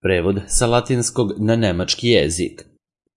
Prevod sa latinskog na nemački jezik.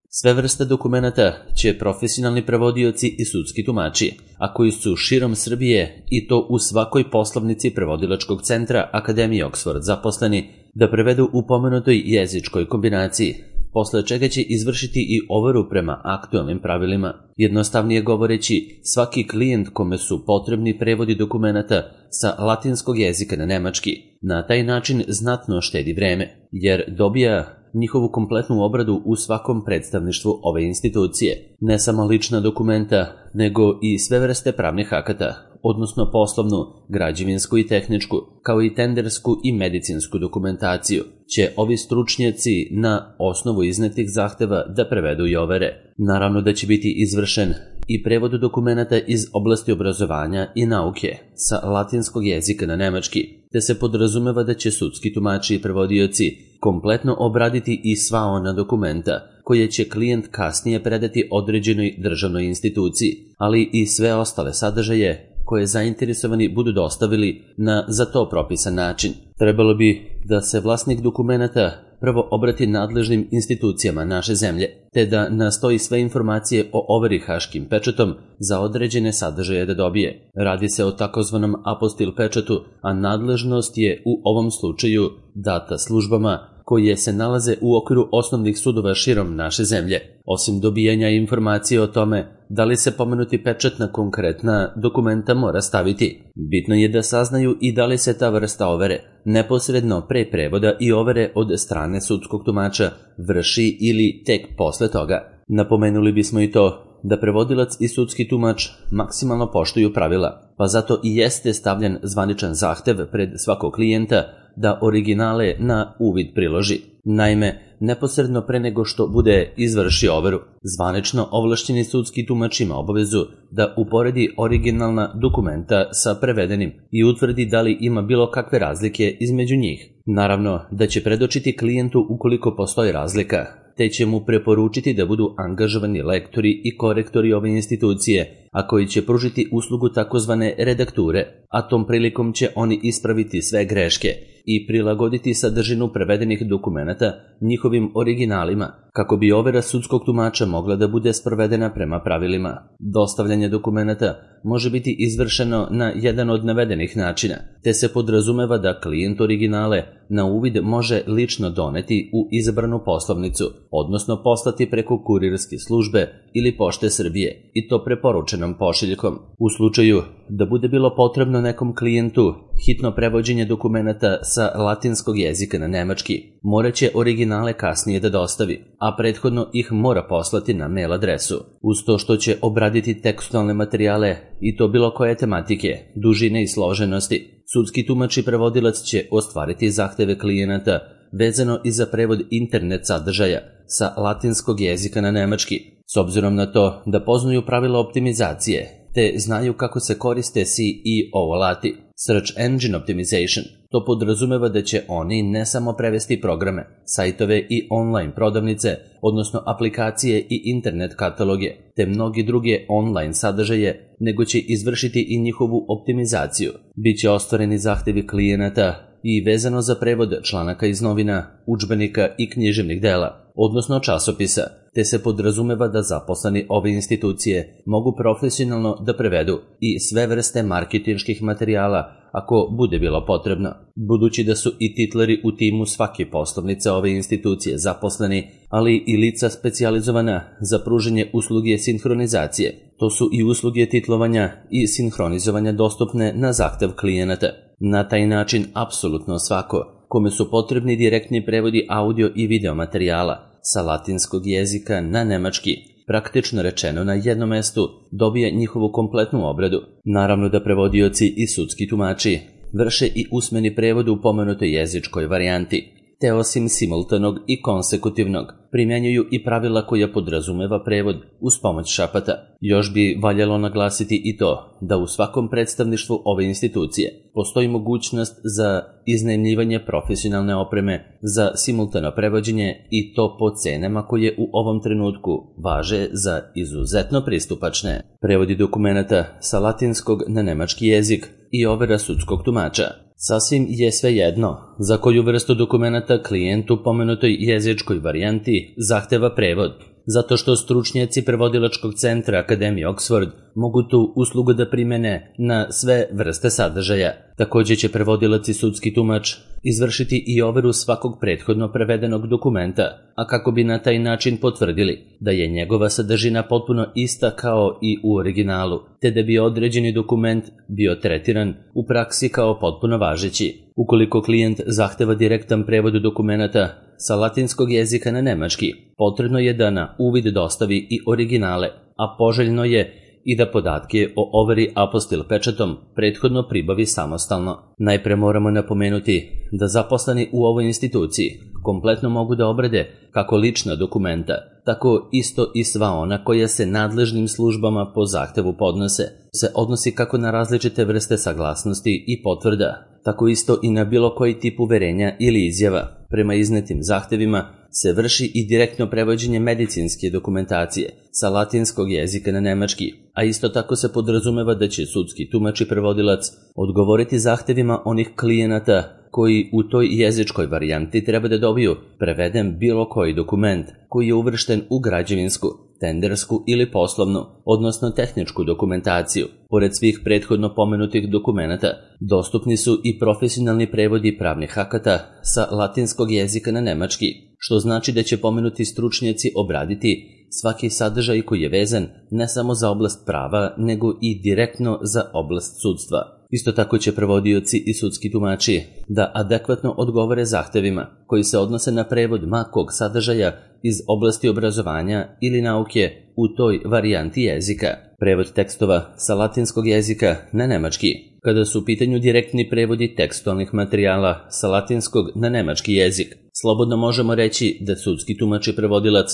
Sve vrste dokumenata će profesionalni prevodioci i sudski tumači, a koji su širom Srbije i to u svakoj poslovnici prevodilačkog centra Akademije Oxford zaposleni, da prevedu u pomenutoj jezičkoj kombinaciji, posle čega će izvršiti i overu prema aktualnim pravilima. Jednostavnije govoreći, svaki klijent kome su potrebni prevodi dokumenata sa latinskog jezika na nemački na taj način znatno štedi vreme, jer dobija njihovu kompletnu obradu u svakom predstavništvu ove institucije. Ne samo lična dokumenta, nego i sve vrste pravnih akata, odnosno poslovnu, građevinsku i tehničku, kao i tendersku i medicinsku dokumentaciju, će ovi stručnjaci na osnovu iznetih zahteva da prevedu i overe. Naravno da će biti izvršen i prevod dokumenata iz oblasti obrazovanja i nauke sa latinskog jezika na nemački, te se podrazumeva da će sudski tumači i prevodioci kompletno obraditi i sva ona dokumenta koje će klijent kasnije predati određenoj državnoj instituciji, ali i sve ostale sadržaje koje zainteresovani budu dostavili na za to propisan način. Trebalo bi da se vlasnik dokumenata prvo obrati nadležnim institucijama naše zemlje, te da nastoji sve informacije o overi haškim pečatom za određene sadržaje da dobije. Radi se o takozvanom apostil pečatu, a nadležnost je u ovom slučaju data službama koje se nalaze u okviru osnovnih sudova širom naše zemlje. Osim dobijanja informacije o tome da li se pomenuti pečat na konkretna dokumenta mora staviti, bitno je da saznaju i da li se ta vrsta overe neposredno pre prevoda i overe od strane sudskog tumača vrši ili tek posle toga. Napomenuli bismo i to da prevodilac i sudski tumač maksimalno poštuju pravila, pa zato i jeste stavljen zvaničan zahtev pred svakog klijenta da originale na uvid priloži. Naime, neposredno pre nego što bude izvršio overu, zvanično ovlašćeni sudski tumač ima obavezu da uporedi originalna dokumenta sa prevedenim i utvrdi da li ima bilo kakve razlike između njih. Naravno da će predočiti klijentu ukoliko postoji razlika, te će mu preporučiti da budu angažovani lektori i korektori ove institucije, a koji će pružiti uslugu takozvane redakture, a tom prilikom će oni ispraviti sve greške i prilagoditi sadržinu prevedenih dokumenata njihovim originalima, kako bi overa sudskog tumača mogla da bude sprovedena prema pravilima. Dostavljanje dokumenata može biti izvršeno na jedan od navedenih načina, te se podrazumeva da klijent originale na uvid može lično doneti u izabranu poslovnicu, odnosno poslati preko kurirske službe ili Pošte Srbije, i to preporučenom pošiljkom. U slučaju da bude bilo potrebno nekom klijentu hitno prevođenje dokumenata sa latinskog jezika na nemački, moraće originale kasnije da dostavi, a prethodno ih mora poslati na mail adresu. Uz to što će obraditi tekstualne materijale i to bilo koje tematike, dužine i složenosti, sudski tumač i prevodilac će ostvariti zahteve klijenata vezano i za prevod internet sadržaja sa latinskog jezika na nemački, s obzirom na to da poznaju pravila optimizacije, te znaju kako se koriste SEO alati, Search Engine Optimization. To podrazumeva da će oni ne samo prevesti programe, sajtove i online prodavnice, odnosno aplikacije i internet kataloge, te mnogi druge online sadržaje, nego će izvršiti i njihovu optimizaciju. Biće ostvareni zahtevi klijenata i vezano za prevod članaka iz novina, udžbenika i književnih dela, odnosno časopisa, te se podrazumeva da zaposleni ove institucije mogu profesionalno da prevedu i sve vrste marketinških materijala ako bude bilo potrebno. Budući da su i titleri u timu svake poslovnice ove institucije zaposleni, ali i lica specijalizovana za pružanje usluge sinhronizacije, to su i usluge titlovanja i sinhronizovanja dostupne na zahtev klijenata. Na taj način apsolutno svako kome su potrebni direktni prevodi audio i video materijala sa latinskog jezika na nemački, praktično rečeno na jednom mestu, dobije njihovu kompletnu obradu. Naravno da prevodioci i sudski tumači vrše i usmeni prevod u pomenutoj jezičkoj varijanti, te osim simultanog i konsekutivnog primjenjuju i pravila koja podrazumeva prevod uz pomoć šapata. Još bi valjalo naglasiti i to da u svakom predstavništvu ove institucije postoji mogućnost za iznajmljivanje profesionalne opreme za simultano prevođenje, i to po cenama koje u ovom trenutku važe za izuzetno pristupačne. Prevodi dokumenata sa latinskog na nemački jezik i overa sudskog tumača. Sasvim je svejedno za koju vrstu dokumenata klijent u pomenutoj jezičkoj varijanti zahteva prevod, zato što stručnjaci prevodilačkog centra Akademije Oxford mogu tu uslugu da primene na sve vrste sadržaja. Takođe će prevodilac i sudski tumač izvršiti i overu svakog prethodno prevedenog dokumenta, a kako bi na taj način potvrdili da je njegova sadržina potpuno ista kao i u originalu, te da bi određeni dokument bio tretiran u praksi kao potpuno važeći. Ukoliko klijent zahteva direktan prevod dokumenta sa latinskog jezika na nemački, potrebno je da na uvid dostavi i originale, a poželjno je i da podatke o overi apostil pečatom prethodno pribavi samostalno. Najpre moramo napomenuti da zaposleni u ovoj instituciji kompletno mogu da obrade kako lična dokumenta, tako isto i sva ona koja se nadležnim službama po zahtevu podnose, se odnosi kako na različite vrste saglasnosti i potvrda, tako isto i na bilo koji tip uverenja ili izjava. Prema iznetim zahtevima se vrši i direktno prevođenje medicinske dokumentacije sa latinskog jezika na nemački, a isto tako se podrazumeva da će sudski tumač i prevodilac odgovoriti zahtevima onih klijenata koji u toj jezičkoj varijanti treba da dobiju preveden bilo koji dokument koji je uvršten u građevinsku, tendersku ili poslovnu, odnosno tehničku dokumentaciju. Pored svih prethodno pomenutih dokumenata, dostupni su i profesionalni prevodi pravnih akata sa latinskog jezika na nemački, što znači da će pomenuti stručnjaci obraditi svaki sadržaj koji je vezan ne samo za oblast prava, nego i direktno za oblast sudstva. Isto tako će prevodioci i sudski tumači da adekvatno odgovore zahtevima koji se odnose na prevod makog sadržaja iz oblasti obrazovanja ili nauke u toj varijanti jezika. Prevod tekstova sa latinskog jezika na nemački. Kada su u pitanju direktni prevodi tekstualnih materijala sa latinskog na nemački jezik, slobodno možemo reći da sudski tumač i prevodilac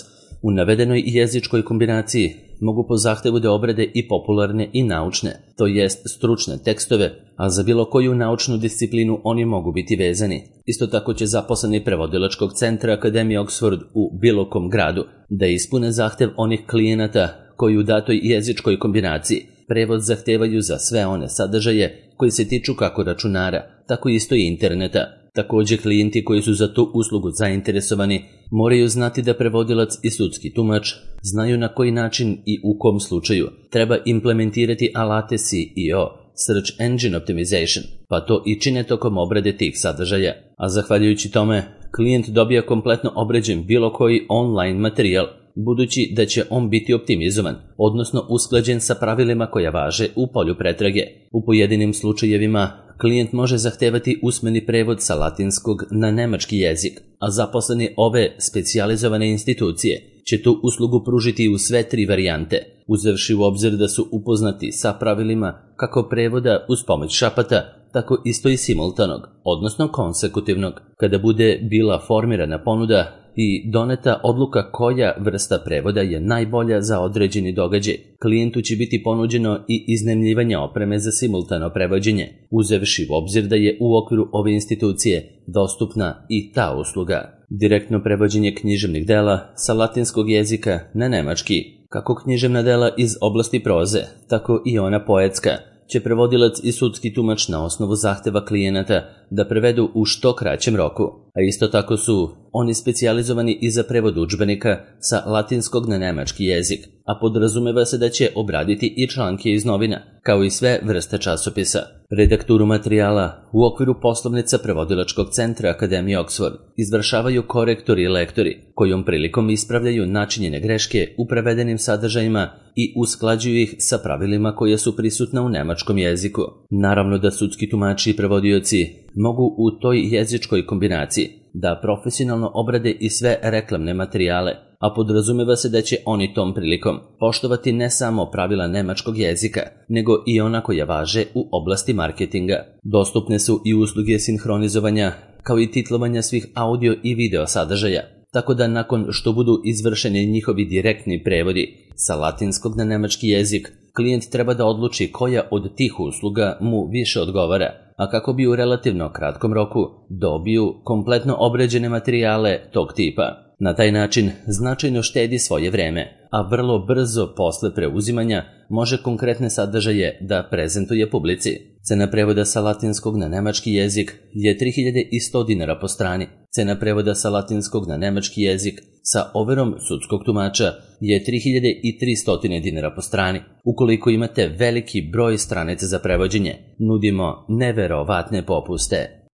u navedenoj jezičkoj kombinaciji mogu po zahtevu da obrade i popularne i naučne, to jest stručne tekstove, a za bilo koju naučnu disciplinu oni mogu biti vezani. Isto tako će zaposleni prevodilačkog centra Akademije Oxford u bilo kom gradu da ispune zahtev onih klijenata koji u datoj jezičkoj kombinaciji prevod zahtevaju za sve one sadržaje koji se tiču kako računara, tako isto i interneta. Takođe, klijenti koji su za tu uslugu zainteresovani moraju znati da prevodilac i sudski tumač znaju na koji način i u kom slučaju treba implementirati alate SEO, Search Engine Optimization, pa to i čine tokom obrade tih sadržaja. A zahvaljujući tome, klijent dobija kompletno obrađen bilo koji online materijal, budući da će on biti optimizovan, odnosno usklađen sa pravilima koja važe u polju pretrage. U pojedinim slučajevima klijent može zahtevati usmeni prevod sa latinskog na nemački jezik, a zaposleni ove specijalizovane institucije će tu uslugu pružiti u sve tri varijante, uzevši u obzir da su upoznati sa pravilima kako prevoda uz pomoć šapata, tako isto i simultanog, odnosno konsekutivnog. Kada bude bila formirana ponuda i doneta odluka koja vrsta prevoda je najbolja za određeni događaj, klijentu će biti ponuđeno i iznajmljivanje opreme za simultano prevođenje, uzevši u obzir da je u okviru ove institucije dostupna i ta usluga. Direktno prevođenje književnih dela sa latinskog jezika na nemački, kako književna dela iz oblasti proze, tako i ona poetska, će prevodilac i sudski tumač na osnovu zahteva klijenata da prevedu u što kraćem roku, a isto tako su oni specijalizovani i za prevod udžbenika sa latinskog na nemački jezik, a podrazumeva se da će obraditi i članke iz novina, kao i sve vrste časopisa. Redakturu materijala u okviru poslovnica prevodilačkog centra Akademije Oxford izvršavaju korektori i lektori, kojom prilikom ispravljaju načinjene greške u prevedenim sadržajima i usklađuju ih sa pravilima koja su prisutna u nemačkom jeziku. Naravno da sudski tumači i prevodioci mogu u toj jezičkoj kombinaciji da profesionalno obrade i sve reklamne materijale, a podrazumeva se da će oni tom prilikom poštovati ne samo pravila nemačkog jezika, nego i ona koja važe u oblasti marketinga. Dostupne su i usluge sinhronizovanja, kao i titlovanja svih audio i video sadržaja, tako da nakon što budu izvršeni njihovi direktni prevodi sa latinskog na nemački jezik, klijent treba da odluči koja od tih usluga mu više odgovara, a kako bi u relativno kratkom roku dobiju kompletno obrađene materijale tog tipa. Na taj način značajno štedi svoje vreme, a vrlo brzo posle preuzimanja može konkretne sadržaje da prezentuje publici. Cena prevoda sa latinskog na nemački jezik je 3100 dinara po strani. Cena prevoda sa latinskog na nemački jezik sa overom sudskog tumača je 3300 dinara po strani. Ukoliko imate veliki broj stranica za prevođenje, nudimo neverovatne popuste.